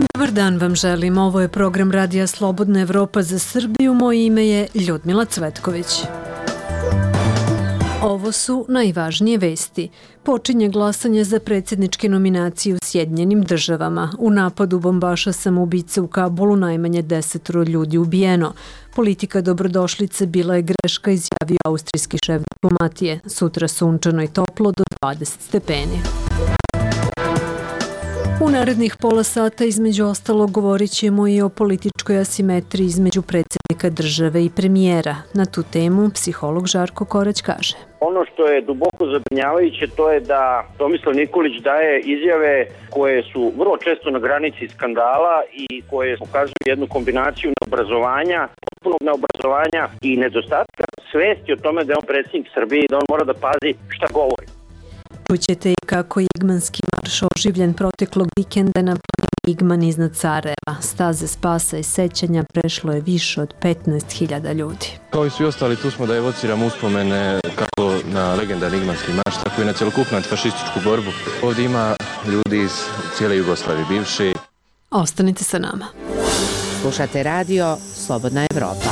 Dobar dan vam želim, ovo je program Radija Slobodna Evropa za Srbiju, moje ime je Ljudmila Cvetković. Ovo su najvažnije vesti. Počinje glasanje za predsjedničke nominacije u Sjedinjenim državama. U napadu bombaša samoubice u Kabulu najmanje 10 ljudi ubijeno. Politika dobrodošlice bila je greška, izjavio austrijski šef diplomatije. Sutra sunčano i toplo do 20 stepeni. U narednih pola sata između ostalog govorit ćemo i o političkoj asimetriji između predsjednika države i premijera. Na tu temu psiholog Žarko Korać kaže. Ono što je duboko zabrinjavajuće to je da Tomislav Nikolić daje izjave koje su vrlo često na granici skandala i koje pokazuju jednu kombinaciju neobrazovanja, potpunog neobrazovanja i nedostatka svesti o tome da je on predsjednik Srbije i da on mora da pazi šta govori. Čućete i kako je Igmanski marš oživljen proteklog vikenda na planini Igman iznad Sarajeva. Staze spasa i sećanja prešlo je više od 15.000 ljudi. Kao i svi ostali, tu smo da evociramo uspomene kako na legendarni Igmanski marš, tako i na cjelokupnu antifašističku borbu. Ovdje ima ljudi iz cijele Jugoslavije bivše. Ostanite sa nama. Slušate radio Slobodna Evropa.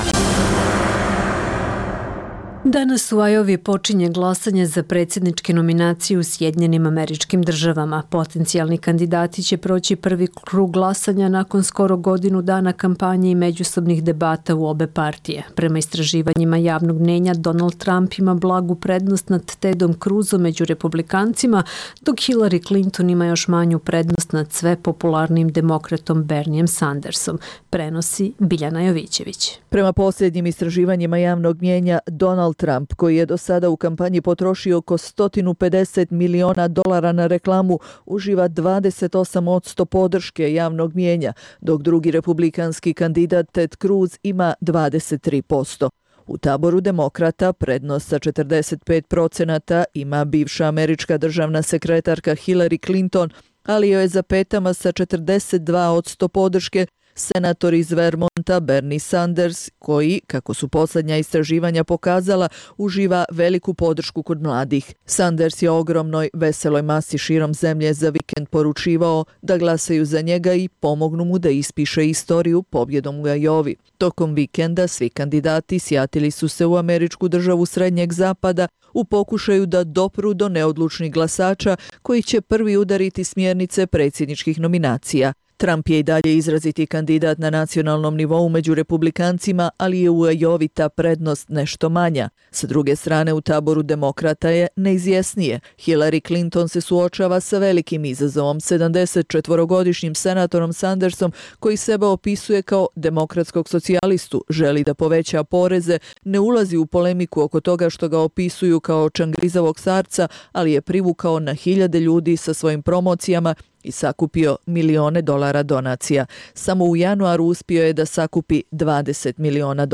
Danas u Ajovi počinje glasanje za predsjedničke nominacije u Sjedinjenim Američkim Državama. Potencijalni kandidati će proći prvi krug glasanja nakon skoro godinu dana kampanje i međusobnih debata u obe partije. Prema istraživanjima javnog mnjenja, Donald Trump ima blagu prednost nad Tedom Cruzom među republikancima, dok Hillary Clinton ima još manju prednost nad sve popularnim demokratom Bernijem Sandersom, prenosi Biljana Jovićević. Prema posljednjim istraživanjima javnog mnjenja, Donald Trump, koji je do sada u kampanji potrošio oko $150 miliona na reklamu, uživa 28% podrške javnog mnjenja, dok drugi republikanski kandidat Ted Cruz ima 23%. U taboru demokrata prednost sa 45% ima bivša američka državna sekretarka Hillary Clinton, ali joj je za petama sa 42% podrške senator iz Vermonta Bernie Sanders, koji, kako su posljednja istraživanja pokazala, uživa veliku podršku kod mladih. Sanders je ogromnoj, veseloj masi širom zemlje za vikend poručivao da glasaju za njega i pomognu mu da ispiše istoriju pobjedom u Ajovi. Tokom vikenda svi kandidati sjatili su se u američku državu Srednjeg zapada u pokušaju da dopru do neodlučnih glasača koji će prvi udariti smjernice predsjedničkih nominacija. Trump je i dalje izraziti kandidat na nacionalnom nivou među republikancima, ali je u Ajovi ta prednost nešto manja. Sa druge strane, u taboru demokrata je neizvjesnije. Hillary Clinton se suočava sa velikim izazovom, 74-godišnjim senatorom Sandersom, koji sebe opisuje kao demokratskog socijalistu, želi da poveća poreze, ne ulazi u polemiku oko toga što ga opisuju kao čangrizavog starca, ali je privukao na hiljade ljudi sa svojim promocijama i sakupio milione dolara donacija. Samo u januaru uspio je da sakupi $20 miliona.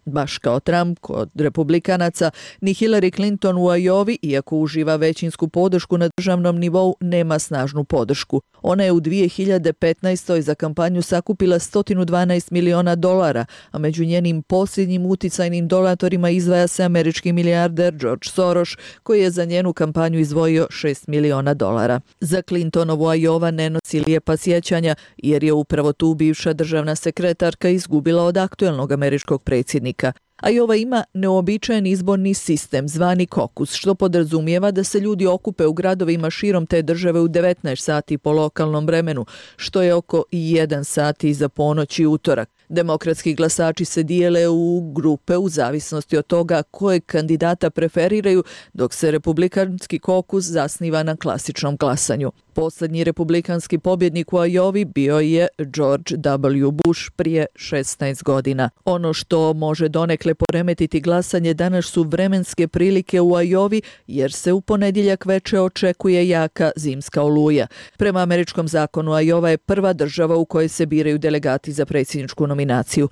Baš kao Trump, kod republikanaca, ni Hillary Clinton u Ajovi, iako uživa većinsku podršku na državnom nivou, nema snažnu podršku. Ona je u 2015. za kampanju sakupila $112 miliona, a među njenim posljednjim uticajnim donatorima izdvaja se američki milijarder George Soros, koji je za njenu kampanju izdvojio $6 miliona. Za Clintonovu Ajova ne nosi lijepa sjećanja, jer je upravo tu bivša državna sekretarka izgubila od aktuelnog američkog predsjednika. Ajova ima neobičajen izborni sistem zvani kokus, što podrazumijeva da se ljudi okupe u gradovima širom te države u 19 sati po lokalnom vremenu, što je oko 1 sat iza ponoći utorak. Demokratski glasači se dijele u grupe u zavisnosti od toga kojeg kandidata preferiraju, dok se republikanski kokus zasniva na klasičnom glasanju. Posljednji republikanski pobjednik u Ajovi bio je George W. Bush prije 16 godina. Ono što može donekle poremetiti glasanje danas su vremenske prilike u Ajovi, jer se u ponedjeljak veče očekuje jaka zimska oluja. Prema američkom zakonu, Ajova je prva država u kojoj se biraju delegati za predsjedničku nominaciju.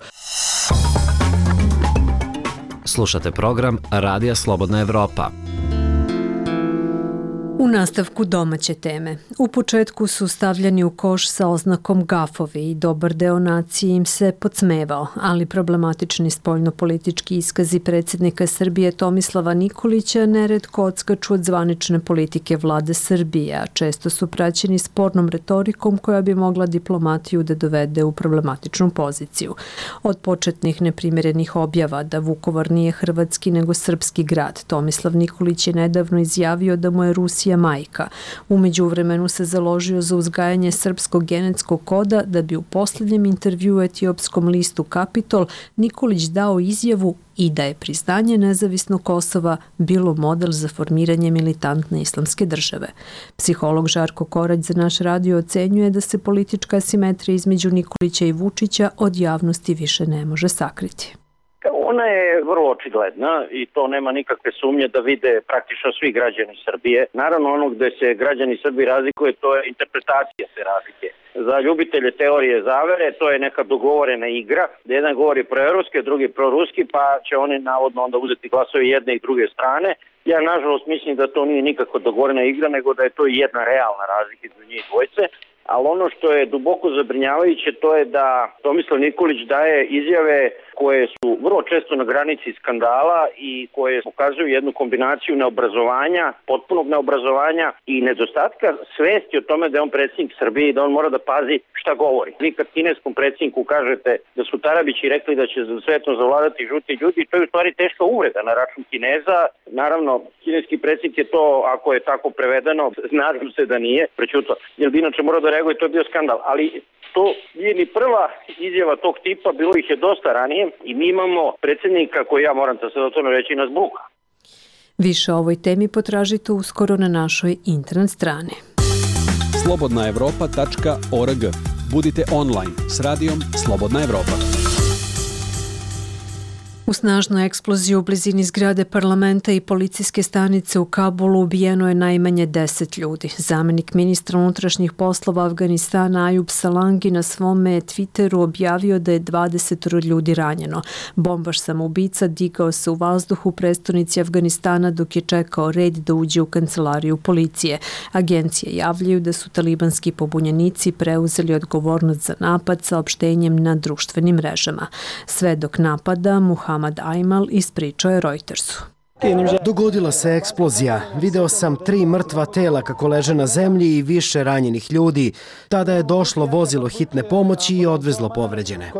Slušate program Radija Slobodna Evropa. U nastavku domaće teme. U početku su stavljeni u koš sa oznakom gafovi i dobar deo nacije im se podsmevao, ali problematični spoljnopolitički iskazi predsjednika Srbije Tomislava Nikolića neretko odskaču od zvanične politike vlade Srbije, a često su praćeni spornom retorikom koja bi mogla diplomatiju da dovede u problematičnu poziciju. Od početnih neprimjerenih objava da Vukovar nije hrvatski nego srpski grad, Tomislav Nikolić je nedavno izjavio da mu je Rusija majka. U međuvremenu se založio za uzgajanje srpskog genetskog koda da bi u posljednjem intervjuu etiopskom listu Kapitol Nikolić dao izjavu i da je priznanje nezavisnog Kosova bilo model za formiranje militantne islamske države. Psiholog Žarko Korać za naš radio ocenjuje da se politička asimetrija između Nikolića i Vučića od javnosti više ne može sakriti. Ona je vrlo očigledna i to nema nikakve sumnje da vide praktično svi građani Srbije. Naravno, ono gde se građani Srbije razlikuje, to je interpretacija te razlike. Za ljubitelje teorije zavere to je neka dogovorena igra, da jedan govori proevropski, drugi proruski, pa će oni navodno onda uzeti glasove jedne i druge strane. Ja nažalost mislim da to nije nikako dogovorena igra, nego da je to jedna realna razlika između njih dvojce. Ali ono što je duboko zabrinjavajuće, to je da Tomislav Nikolić daje izjave koje su vrlo često na granici skandala i koje pokazuju jednu kombinaciju neobrazovanja, potpunog neobrazovanja i nedostatka svesti o tome da je on predsjednik Srbije i da on mora da pazi šta govori. Vi kad kineskom predsjedniku kažete da su Tarabići rekli da će svetom zavladati žuti ljudi, to je u stvari teška uvreda na račun Kineza. Naravno, kineski predsjednik je to, ako je tako prevedeno, nadam se da nije, prećuto, jer bi inače morao da reaguje, to je bio skandal. Ali to nije ni prva izjava tog tipa, bilo ih je dosta ranije i mi imamo predsjednika koji, ja moram da se o tome reći, nas buka. Više o ovoj temi potražite uskoro na našoj internet strani. slobodnaevropa.org. Budite online s radijom Slobodna Evropa. U snažnu eksploziju u blizini zgrade parlamenta i policijske stanice u Kabulu ubijeno je najmanje 10 ljudi. Zamenik ministra unutrašnjih poslova Afganistana Ayub Salangi na svome Twitteru objavio da je 20 ljudi ranjeno. Bombaš samoubica digao se u vazduh u prestonici Afganistana dok je čekao red da uđe u kancelariju policije. Agencije javljaju da su talibanski pobunjenici preuzeli odgovornost za napad saopštenjem na društvenim mrežama. Svedok napada Muhammad Aymal ispričao je Reutersu. Dogodila se eksplozija. Video sam 3 mrtva tela kako leže na zemlji i više ranjenih ljudi. Tada je došlo vozilo hitne pomoći i odvezlo povređene.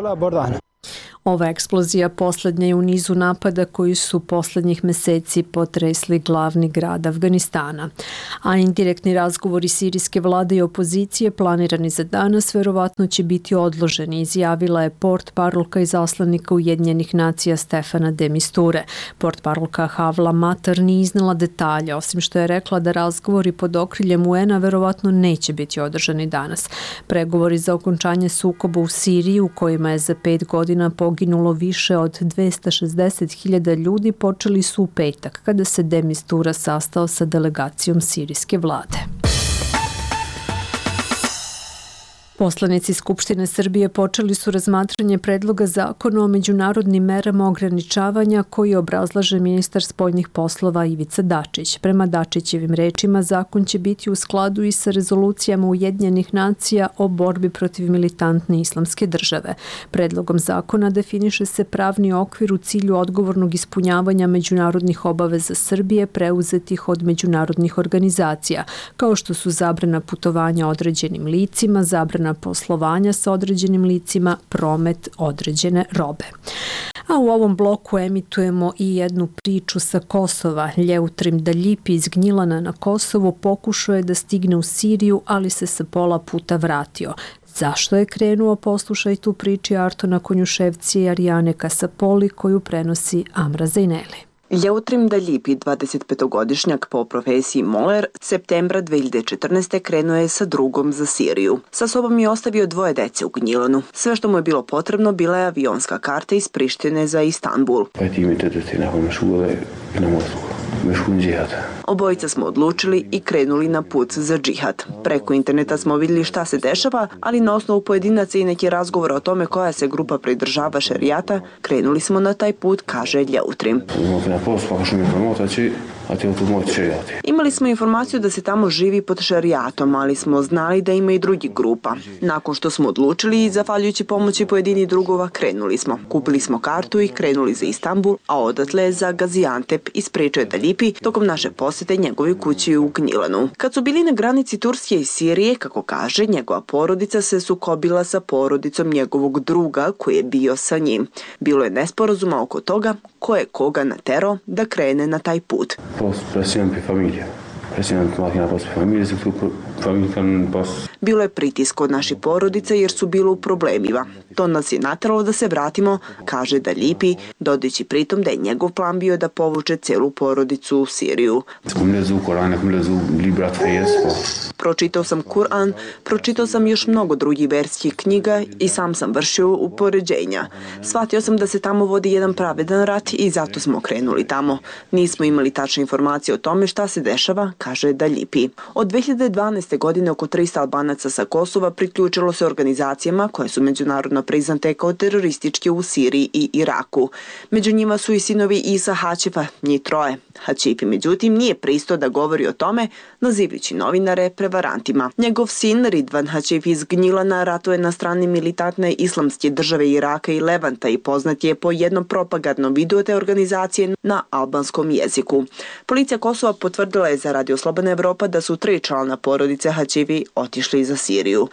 Ova eksplozija posljednja je u nizu napada koji su posljednjih meseci potresli glavni grad Afganistana. A indirektni razgovori sirijske vlade i opozicije planirani za danas verovatno će biti odloženi, izjavila je portparolka izaslanika Ujedinjenih nacija Stefana de Misture. Portparolka Havla Matar nije iznala detalje, osim što je rekla da razgovori pod okriljem UN-a verovatno neće biti održani danas. Pregovori za okončanje sukoba u Siriji, u kojima je za 5 godina poginulo više od 260.000 ljudi, počeli su u petak kada se de Mistura sastao sa delegacijom sirijske vlade. Poslanici Skupštine Srbije počeli su razmatranje predloga zakona o međunarodnim merama ograničavanja koji obrazlaže ministar spoljnih poslova Ivica Dačić. Prema Dačićevim rečima, zakon će biti u skladu i sa rezolucijama Ujedinjenih nacija o borbi protiv militantne islamske države. Predlogom zakona definiše se pravni okvir u cilju odgovornog ispunjavanja međunarodnih obaveza Srbije preuzetih od međunarodnih organizacija, kao što su zabrana putovanja određenim licima, zabrana poslovanja sa određenim licima, promet određene robe. A u ovom bloku emitujemo i jednu priču sa Kosova. Ljeutrim Daljipi iz Gnjilana na Kosovo pokušao je da stigne u Siriju, ali se sa pola puta vratio. Zašto je krenuo, poslušaj tu priči Artona Konjuševci i Arijane Kasapoli koju prenosi Amra Zajneli. Ljeutrim Daljipi, 25-godišnjak po profesiji moler, septembra 2014. krenuo je sa drugom za Siriju. Sa sobom je ostavio 2 dece u Gnjilanu. Sve što mu je bilo potrebno bila je avionska karta iz Prištine za Istanbul. Obojica smo odlučili i krenuli na put za džihad. Preko interneta smo vidjeli šta se dešava, ali na osnovu pojedinaca i neki razgovor o tome koja se grupa pridržava šerijata, krenuli smo na taj put, kaže Ljeutrim. Imali smo informaciju da se tamo živi pod šarijatom, ali smo znali da ima i drugih grupa. Nakon što smo odlučili i zahvaljujući pomoći pojedinih drugova, krenuli smo. Kupili smo kartu i krenuli za Istanbul, a odatle za Gaziantep, ispričao je Dalipi tokom naše posete njegovoj kući u Gnjilanu. Kad su bili na granici Turske i Sirije, kako kaže, njegova porodica se sukobila sa porodicom njegovog druga koji je bio sa njim. Bilo je nesporazuma oko toga ko je koga naterao da krene na taj put. Bilo je pritisk od naših porodica jer su bili u problemima. To nas je nateralo da se vratimo, kaže Dalipi, dodajući pritom da je njegov plan bio da povuče celu porodicu u Siriju. Pročitao sam Kur'an, pročitao sam još mnogo drugih verskih knjiga i sam vršio upoređenja. Shvatio sam da se tamo vodi jedan pravedan rat i zato smo krenuli tamo. Nismo imali tačne informacije o tome šta se dešava, kaže Dalipi. Od 2012. godine oko 300 Albanaca sa Kosova priključilo se organizacijama koje su međunarodno priznate kao terorističke u Siriji i Iraku. Među njima su i sinovi Isa Hačifa, njih troje. Hačifi, međutim, nije pristao da govori o tome, nazivajući novinare prevarantima. Njegov sin Ridvan Hačif iz Gnjilana ratuje na strani militantne islamske države Iraka i Levanta i poznat je po jednom propagandnom videu te organizacije na albanskom jeziku. Policija Kosova potvrdila je za Radio Slobodna Evropa da su 3 člana porodice Hačivi otišli za Siriju.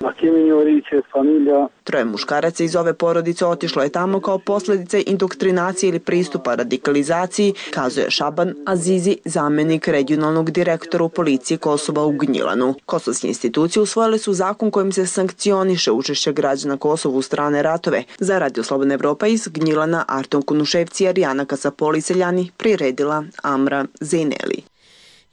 Troje muškaraca iz ove porodice otišlo je tamo kao posljedice indoktrinacije ili pristupa radikalizaciji, kazuje Šaban Azizi, zamenik regionalnog direktora u policiji Kosova u Gnjilanu. Kosovske institucije usvojile su zakon kojim se sankcioniše učešće građana Kosova u strane ratove. Za Radio Slobodna Evropa iz Gnjilana Arton Kunuševci, Arijana Kasapoli, Seljani, priredila Amra Zejneli.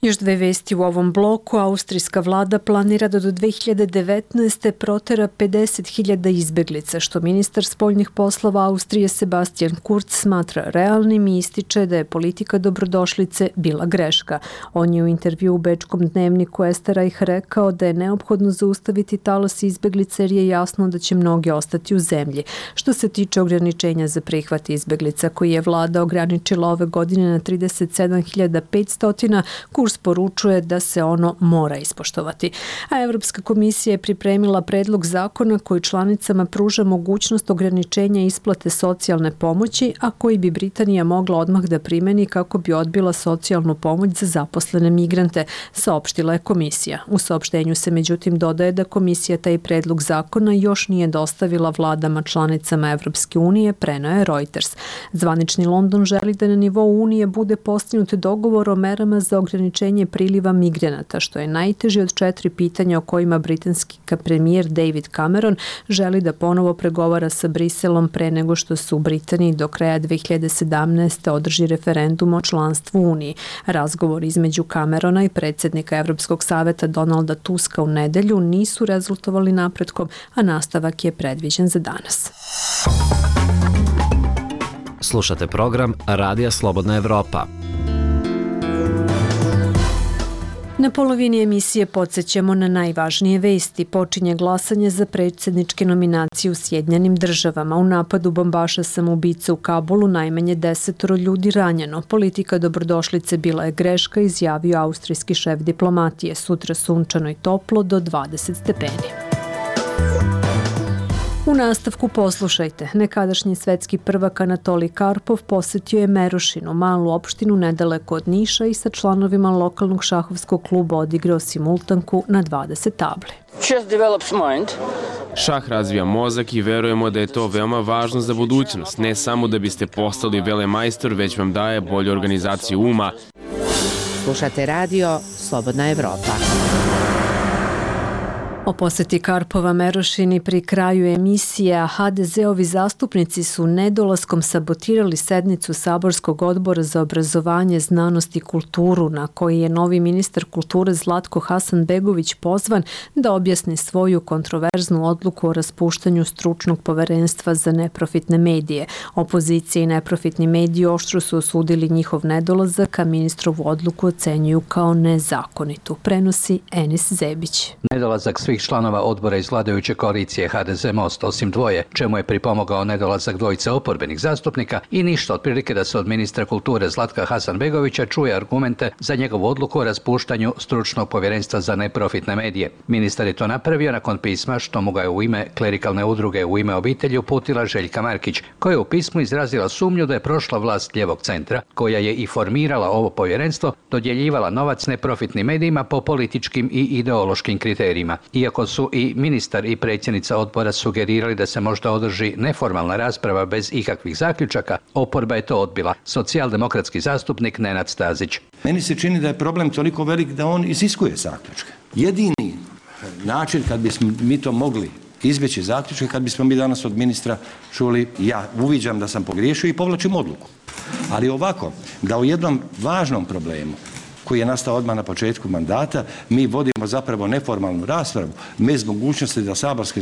Još 2 vesti u ovom bloku. Austrijska vlada planira da do 2019. protera 50.000 izbeglica, što ministar spoljnih poslova Austrije Sebastian Kurz smatra realnim i ističe da je politika dobrodošlice bila greška. On je u intervju u bečkom dnevniku Österreich rekao da je neophodno zaustaviti talas izbeglica jer je jasno da će mnogi ostati u zemlji. Što se tiče ograničenja za prihvat izbeglica koji je vlada ograničila ove godine na 37.500, Kurz poručuje da se ono mora ispoštovati. A Evropska komisija je pripremila predlog zakona koji članicama pruža mogućnost ograničenja isplate socijalne pomoći, a koji bi Britanija mogla odmah da primeni kako bi odbila socijalnu pomoć za zaposlene migrante, saopštila je komisija. U saopštenju se međutim dodaje da komisija taj predlog zakona još nije dostavila vladama članicama Evropske unije, preneo je Reuters. Zvanični London želi da na nivou Unije bude postignut dogovor o merama za ograničenje priliva migranata, što je najteže od 4 pitanja o kojima britanski premijer David Cameron želi da ponovo pregovara sa Briselom pre nego što se u Britaniji do kraja 2017. održi referendum o članstvu u Uniji. Razgovor između Camerona i predsjednika Evropskog saveta Donalda Tuska u nedelju nisu rezultovali napretkom, a nastavak je predviđen za danas. Slušate program Radija Slobodna Evropa. Na polovini emisije podsjećamo na najvažnije vesti. Počinje glasanje za predsjedničke nominacije u Sjedinjenim državama. U napadu bombaša samoubica u Kabulu najmanje 10 ljudi ranjeno. Politika dobrodošlice bila je greška, izjavio austrijski šef diplomatije. Sutra sunčano i toplo do 20 stepeni. U nastavku poslušajte. Nekadašnji svetski prvak Anatolij Karpov posjetio je Merošinu, malu opštinu nedaleko od Niša, i sa članovima lokalnog šahovskog kluba odigrao simultanku na 20 tabli. Šah razvija mozak i verujemo da je to veoma važno za budućnost. Ne samo da biste postali velemajstor, već vam daje bolju organizaciju uma. Slušate radio Slobodna Evropa. O posjeti Karpova Merošini pri kraju emisije, a HDZ-ovi zastupnici su nedolaskom sabotirali sednicu Saborskog odbora za obrazovanje, znanost i kulturu, na koji je novi ministar kulture Zlatko Hasanbegović pozvan da objasni svoju kontroverznu odluku o raspuštanju stručnog poverenstva za neprofitne medije. Opozicija i neprofitni mediji oštro su osudili njihov nedolazak, a ministrovu odluku ocenjuju kao nezakonitu. Prenosi Enis Zebić. Nedolazak svih svih članova odbora iz vladajuće koalicije HDZ Most, osim dvoje, čemu je pripomogao nedolazak dvojice oporbenih zastupnika i ništa otprilike da se od ministra kulture Zlatka Hasanbegovića čuje argumente za njegovu odluku o raspuštanju stručnog povjerenstva za neprofitne medije. Ministar je to napravio nakon pisma što mu ga je u ime klerikalne udruge U ime obitelji uputila Željka Markić, koja je u pismu izrazila sumnju da je prošla vlast lijevog centra, koja je i formirala ovo povjerenstvo, dodjeljivala novac neprofitnim medijima po političkim i ideološkim kriterijima. Iako su i ministar i predsjednica odbora sugerirali da se možda održi neformalna rasprava bez ikakvih zaključaka, oporba je to odbila. Socijaldemokratski zastupnik Nenad Stazić. Meni se čini da je problem toliko velik da on iziskuje zaključke. Jedini način kad bismo mi to mogli izbjeći zaključke, kad bismo mi danas od ministra čuli ja uviđam da sam pogriješio i povlačim odluku. Ali ovako, da o jednom važnom problemu koji je nastao odmah na početku mandata, mi vodimo zapravo neformalnu raspravu bez mogućnosti da saborski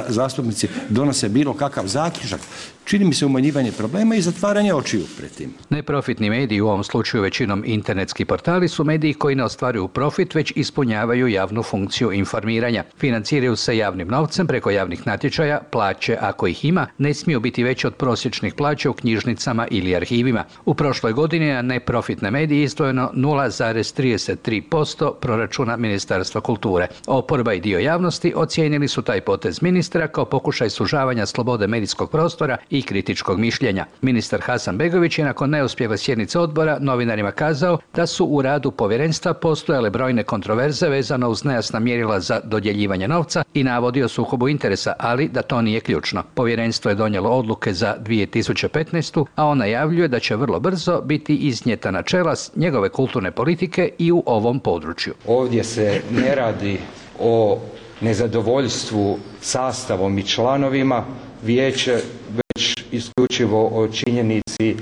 zastupnici donose bilo kakav zaključak. Čini mi se umanjivanje problema i zatvaranje očiju pred tim. Neprofitni mediji, u ovom slučaju većinom internetski portali, su mediji koji ne ostvaruju profit, već ispunjavaju javnu funkciju informiranja. Financiraju se javnim novcem preko javnih natječaja, plaće, ako ih ima, ne smiju biti veće od prosječnih plaća u knjižnicama ili arhivima. U prošloj godini na neprofitne medije izdvojeno 0,33% proračuna Ministarstva kulture. Oporba i dio javnosti ocijenili su taj potez ministra kao pokušaj sužavanja slobode medijskog prostora i kritičkog mišljenja. Ministar Hasanbegović je nakon neuspjele sjednice odbora novinarima kazao da su u radu povjerenstva postojale brojne kontroverze vezano uz nejasna mjerila za dodjeljivanje novca i navodio sukobu interesa, ali da to nije ključno. Povjerenstvo je donijelo odluke za 2015. a on najavljuje da će vrlo brzo biti iznijeta načela njegove kulturne politike i u ovom području. Ovdje se ne radi o nezadovoljstvu sastavom i članovima vijeća, već isključivo o činjenici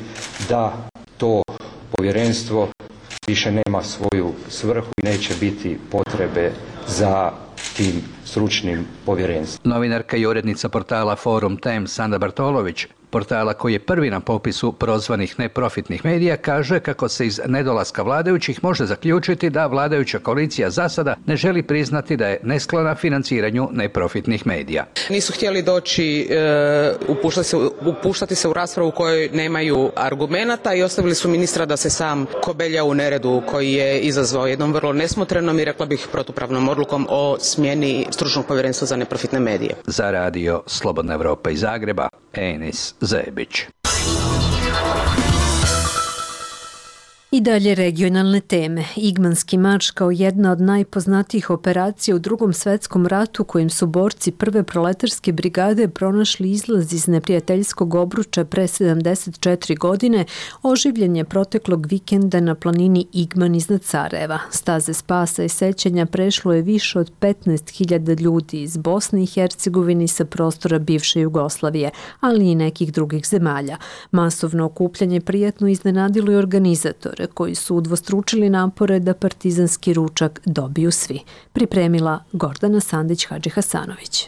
da to povjerenstvo više nema svoju svrhu i neće biti potrebe za tim stručnim povjerenstvom. Novinarka i urednica portala Forum Times Sanda Bartolović, portala koji je prvi na popisu prozvanih neprofitnih medija, kaže kako se iz nedolaska vladajućih može zaključiti da vladajuća koalicija za sada ne želi priznati da je nesklona financiranju neprofitnih medija. Nisu htjeli doći, upuštati se u raspravu u kojoj nemaju argumenata i ostavili su ministra da se sam kobelja u neredu koji je izazvao jednom vrlo nesmotrenom i rekla bih protupravnom odlukom o smjeni stručnog povjerenstva za neprofitne medije. Za radio Slobodna Evropa iz Zagreba, Enis Zebić. I dalje regionalne teme. Igmanski marš kao jedna od najpoznatijih operacija u Drugom svjetskom ratu kojim su borci prve proletarske brigade pronašli izlaz iz neprijateljskog obruča pre 74 godine, oživljen je proteklog vikenda na planini Igman iznad Sarajeva. Staze spasa i sećanja prešlo je više od 15.000 ljudi iz Bosne i Hercegovine sa prostora bivše Jugoslavije, ali i nekih drugih zemalja. Masovno okupljanje prijatno iznenadilo i organizatore, koji su udvostručili napore da partizanski ručak dobiju svi. Pripremila Gordana Sandić-Hadži-Hasanović.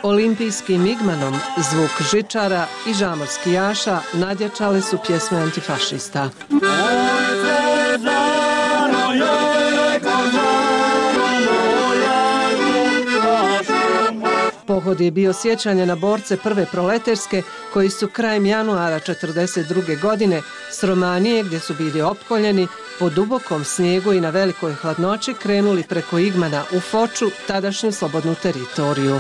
Olimpijskim Igmanom, zvuk žičara i žamorskijaša nadjačale su pjesme antifašista. Pohod je bio sjećanje na borce prve proletarske koji su krajem januara 1942. godine s Romanije, gdje su bili opkoljeni, po dubokom snijegu i na velikoj hladnoći krenuli preko Igmana u Foču, tadašnju slobodnu teritoriju.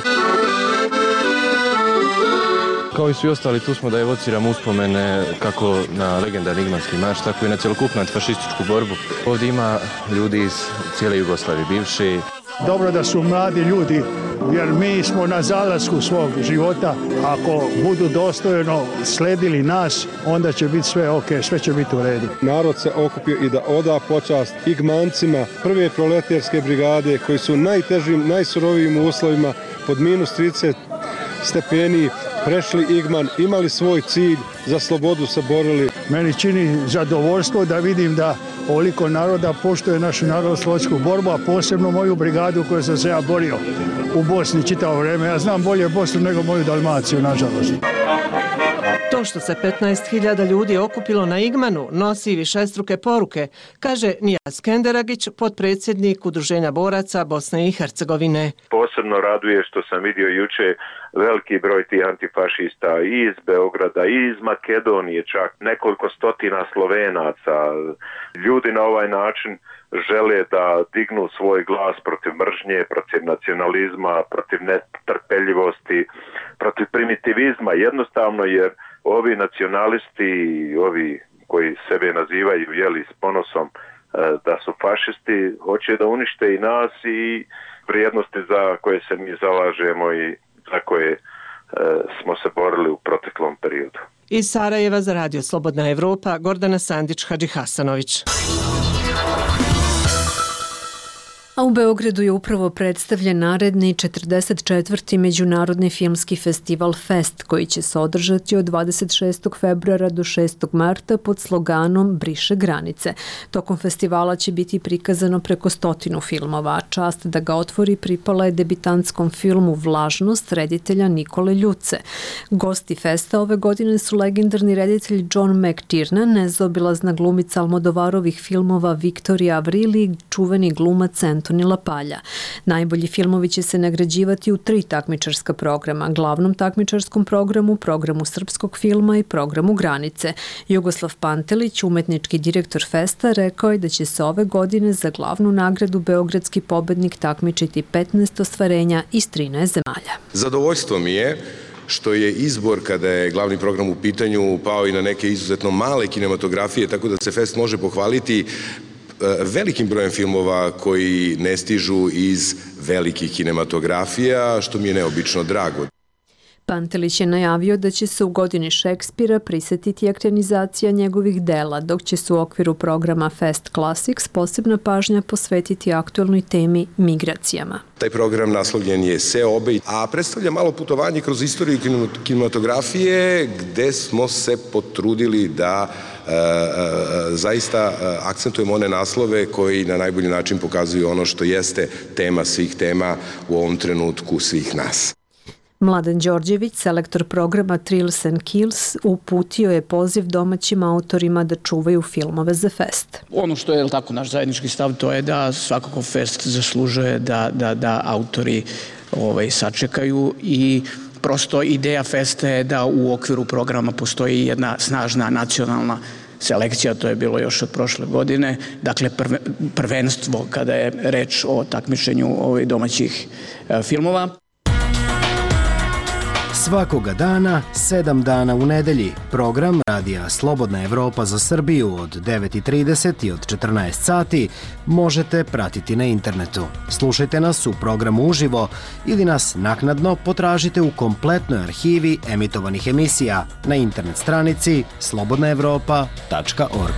Kao i svi ostali, tu smo da evociramo uspomene kako na legendarni Igmanski marš, tako i na cjelokupnu antifašističku borbu. Ovdje ima ljudi iz cijele Jugoslavije bivše. Dobro da su mladi ljudi, jer mi smo na zalasku svog života. Ako budu dostojno sledili nas, onda će biti sve ok, sve će biti u redu. Narod se okupio i da oda počast Igmancima prve proletarske brigade koji su u najtežim, najsurovijim uslovima pod -30 stepeni prešli Igman, imali svoj cilj, za slobodu se borili. Meni čini zadovoljstvo da vidim da ovoliko naroda poštuje našu narodnooslobodilačku borbu, a posebno moju brigadu koju sam se ja borio u Bosni čitavo vrijeme. Ja znam bolje Bosnu nego moju Dalmaciju, nažalost. To To što se 15.000 ljudi okupilo na Igmanu nosi višestruke poruke, kaže Nijaz Kenderagić, potpredsjednik Udruženja boraca Bosne i Hercegovine. Posebno raduje što sam vidio juče veliki broj tih antifašista i iz Beograda i iz Makedonije, čak nekoliko stotina Slovenaca. Ljudi na ovaj način žele da dignu svoj glas protiv mržnje, protiv nacionalizma, protiv netrpeljivosti, protiv primitivizma, jednostavno jer ovi nacionalisti, ovi koji sebe nazivaju s ponosom da su fašisti, hoće da unište i nas i vrijednosti za koje se mi zalažemo i za koje smo se borili u proteklom periodu. Iz Sarajeva za Radio Slobodna Evropa, Gordana Sandić-Hadžihasanović. A u Beogradu je upravo predstavljen naredni 44. Međunarodni filmski festival Fest, koji će se održati od 26. februara do 6. marta pod sloganom Briše granice. Tokom festivala će biti prikazano preko 100 filmova, a čast da ga otvori pripala je debitantskom filmu Vlažnost reditelja Nikole Ljuce. Gosti Festa ove godine su legendarni reditelj John McTiernan, nezaobilazna glumica Almodovarovih filmova Viktorija Avril i čuveni glumac Antoni Lapalja. Najbolji filmovi će se nagrađivati u 3 takmičarska programa, glavnom takmičarskom programu, programu srpskog filma i programu Granice. Jugoslav Pantelić, umetnički direktor Festa, rekao je da će se ove godine za glavnu nagradu beogradski pobednik takmičiti 15 ostvarenja iz 13 zemalja. Zadovoljstvo mi je što je izbor, kada je glavni program u pitanju, pao i na neke izuzetno male kinematografije, tako da se Fest može pohvaliti velikim brojem filmova koji ne stižu iz velikih kinematografija, što mi je neobično drago. Pantelić je najavio da će se u godini Šekspira prisetiti ekranizacija njegovih dela, dok će se u okviru programa Fest Classics posebna pažnja posvetiti aktualnoj temi migracijama. Taj program naslovljen je Seobe, a predstavlja malo putovanje kroz istoriju kinematografije, gde smo se potrudili da zaista akcentujemo one naslove koji na najbolji način pokazuju ono što jeste tema svih tema u ovom trenutku svih nas. Mladen Đorđević, selektor programa Thrills and Kills, uputio je poziv domaćim autorima da čuvaju filmove za Fest. Ono što je naš zajednički stav, to je da svakako Fest zaslužuje da autori sačekaju i prosto ideja Festa je da u okviru programa postoji jedna snažna nacionalna selekcija, to je bilo još od prošle godine, dakle prvenstvo kada je reč o takmičenju domaćih filmova. Svakoga dana, 7 dana u nedelji. Program Radija Slobodna Evropa za Srbiju od 9:30 i od 14 sati možete pratiti na internetu. Slušajte nas u programu uživo ili nas naknadno potražite u kompletnoj arhivi emitovanih emisija na internet stranici slobodnaevropa.org.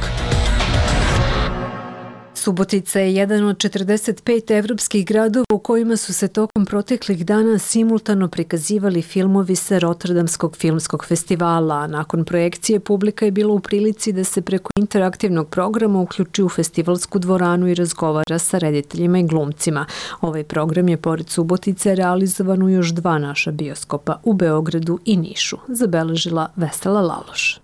Subotica je jedan od 45 evropskih gradova u kojima su se tokom proteklih dana simultano prikazivali filmovi sa Rotterdamskog filmskog festivala, a nakon projekcije publika je bila u prilici da se preko interaktivnog programa uključi u festivalsku dvoranu i razgovara sa rediteljima i glumcima. Ovaj program je pored Subotice realizovan u još 2 naša bioskopa, u Beogradu i Nišu, zabeležila Vesela Laloš.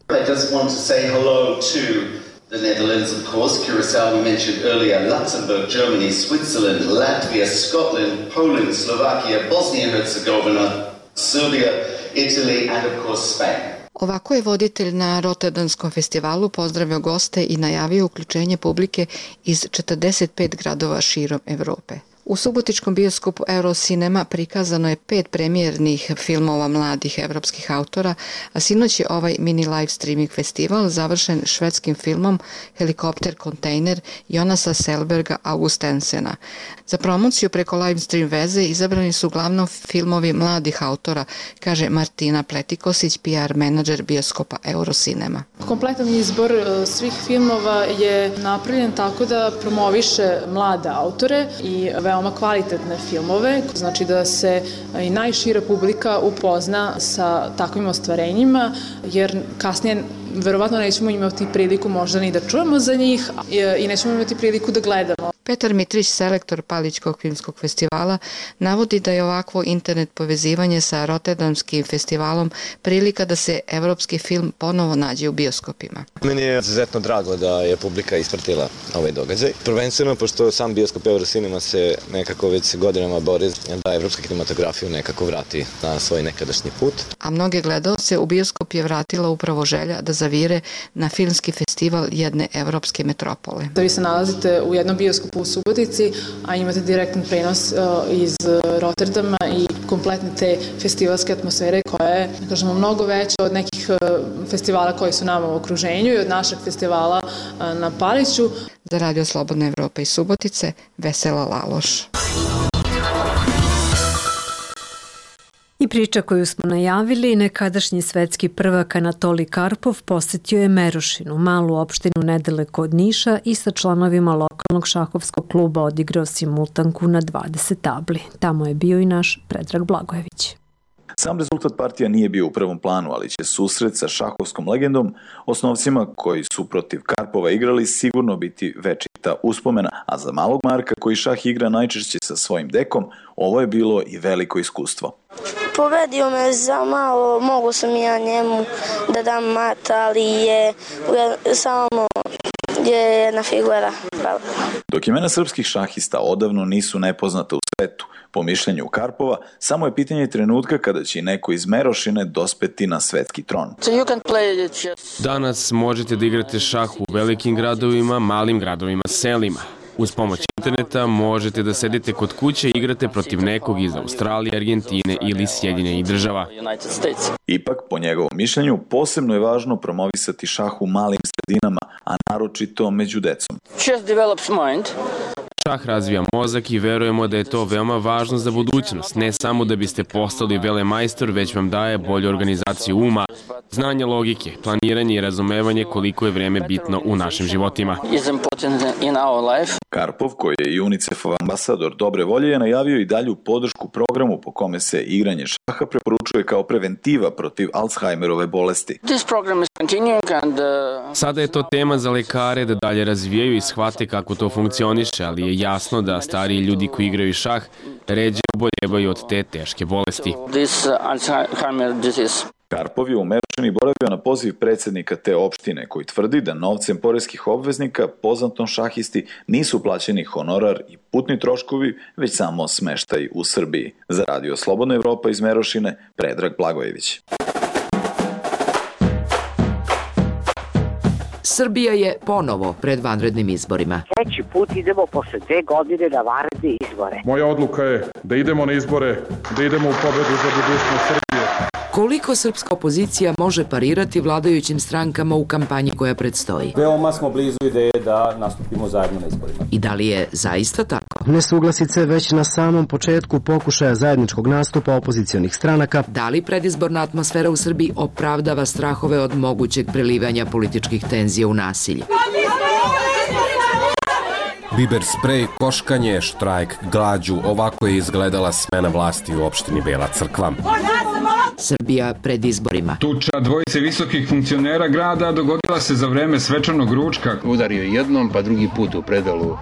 The Netherlands, of course, Curacao we mentioned earlier, Luxembourg, Germany, Switzerland, Latvia, Scotland, Poland, Slovakia, Bosnia and Herzegovina, Serbia, Italy and of course Spain. Ovako je voditelj na Rotterdamskom festivalu pozdravio goste i najavio uključenje publike iz 45 gradova širom Evrope. U subotičkom bioskopu Eurocinema prikazano je 5 premijernih filmova mladih evropskih autora, a sinoć je ovaj mini live streaming festival završen švedskim filmom Helikopter kontejner Jonasa Selberga Augustensena. Za promociju preko live stream veze izabrani su uglavnom filmovi mladih autora, kaže Martina Pletikosić, PR menadžer bioskopa Eurocinema. Kompletan izbor svih filmova je napravljen tako da promoviše mlade autore i veoma kvalitetne filmove, znači da se i najšira publika upozna sa takvim ostvarenjima, jer kasnije verovatno nećemo imati priliku možda ni da čujemo za njih i nećemo imati priliku da gledamo. Petar Mitrić, selektor Palićkog filmskog festivala, navodi da je ovakvo internet povezivanje sa Rotterdamskim festivalom prilika da se evropski film ponovo nađe u bioskopima. Meni je izuzetno drago da je publika ispratila ovaj događaj. Prvenstveno, pošto sam bioskop Eurocinema se nekako već godinama bori da evropska kinematografiju nekako vrati na svoj nekadašnji put. A mnoge gledaoce u bioskop je vratila upravo želja da zavire na filmski festival jedne evropske metropole. Vi se nalazite u jednom bioskopu u Subotici, a imate direktan prenos iz Rotterdama i kompletne te festivalske atmosfere koja je, kažemo, mnogo veća od nekih festivala koji su nama u okruženju i od našeg festivala na Paliću. Za Radio Slobodna Evropa iz Subotice, Vesela Laloš. I priča koju smo najavili, nekadašnji svetski prvak Anatolij Karpov posetio je Merošinu, malu opštinu nedaleko od Niša, i sa članovima lokalnog šahovskog kluba odigrao simultanku na 20 tabli. Tamo je bio i naš Predrag Blagojević. Sam rezultat partija nije bio u prvom planu, ali će susret sa šahovskom legendom, osnovcima koji su protiv Karpova igrali, sigurno biti večita uspomena, a za malog Marka koji šah igra najčešće sa svojim dekom, ovo je bilo i veliko iskustvo. Pobedio me za malo, mogu sam ja njemu da dam mat, ali je samo jedna figura. Dok imena srpskih šahista odavno nisu nepoznata u svetu, po mišljenju Karpova, samo je pitanje trenutka kada će neko iz Merošine dospeti na svetski tron. Danas možete da igrate šah u velikim gradovima, malim gradovima, selima. Uz pomoć interneta možete da sedite kod kuće i igrate protiv nekog iz Australije, Argentine ili Sjedinjenih Država. Ipak, po njegovom mišljenju, posebno je važno promovisati šah u malim sredinama, a naročito među decom. Šah razvija mozak i verujemo da je to veoma važno za budućnost, ne samo da biste postali velemajstor, već vam daje bolju organizaciju uma, znanje logike, planiranje i razumevanje koliko je vreme bitno u našim životima. Karpov, koji je i UNICEF-ov ambasador dobre volje, je najavio i dalju podršku programu po kome se igranje šaha preporučuje kao preventiva protiv Alzheimerove bolesti. Sada je to tema za lekare da dalje razvijaju i shvate kako to funkcioniše, ali je jasno da stariji ljudi koji igraju šah ređe oboljevaju od te teške bolesti. Karpov je u Merošini boravio na poziv predsjednika te opštine, koji tvrdi da novcem poreskih obveznika poznatom šahisti nisu plaćeni honorar i putni troškovi, već samo smeštaj u Srbiji. Za Radio Slobodna Evropa iz Merošine, Predrag Blagojević. Srbija je ponovo pred vanrednim izborima. Treći put idemo posle 2 godine na vanredne izbore. Moja odluka je da idemo na izbore, da idemo u pobedu za budućnost Srbije. Koliko srpska opozicija može parirati vladajućim strankama u kampanji koja predstoji? Veoma smo blizu ideje da nastupimo zajedno na izborima. I da li je zaista tako? Nesuglasice već na samom početku pokušaja zajedničkog nastupa opozicionih stranaka. Da li predizborna atmosfera u Srbiji opravdava strahove od mogućeg prelivanja političkih tenzija u nasilje? Biber sprej, koškanje, štrajk, glađu, ovako je izgledala smena vlasti u opštini Bela Crkva. Srbija pred izborima. Tuča dvojice visokih funkcionera grada dogodila se za vreme svečanog ručka. Udario jednom, pa drugi put u predalu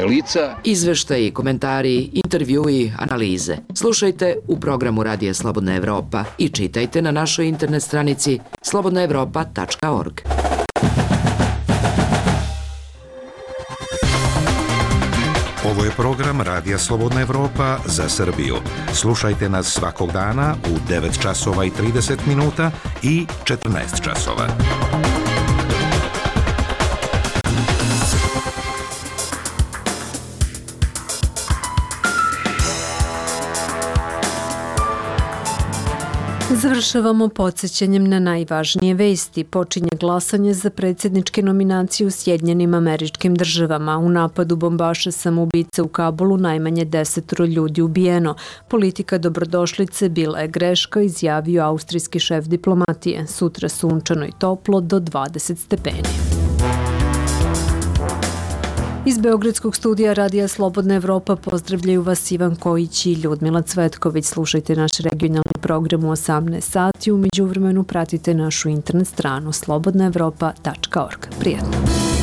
lica. Izveštaji, komentari, intervjui, analize. Slušajte u programu Radija Slobodna Evropa i čitajte na našoj internet stranici slobodnaevropa.org. Ovo je program Radija Slobodna Evropa za Srbiju. Slušajte nas svakog dana u 9 časova i 30 minuta i 14 časova. Završavamo podsjećanjem na najvažnije vesti. Počinje glasanje za predsjedničke nominacije u Sjedinjenim Američkim Državama. U napadu bombaša samoubice u Kabulu najmanje 10 ljudi ubijeno. Politika dobrodošlice bila je greška, izjavio austrijski šef diplomatije. Sutra sunčano i toplo do 20 stepeni. Iz Beogradskog studija Radija Slobodna Evropa pozdravljaju vas Ivan Kojić i Ljudmila Cvetković. Slušajte naš regionalni program u 18 sati. U međuvremenu pratite našu internet stranu slobodnaevropa.org. Prijatno!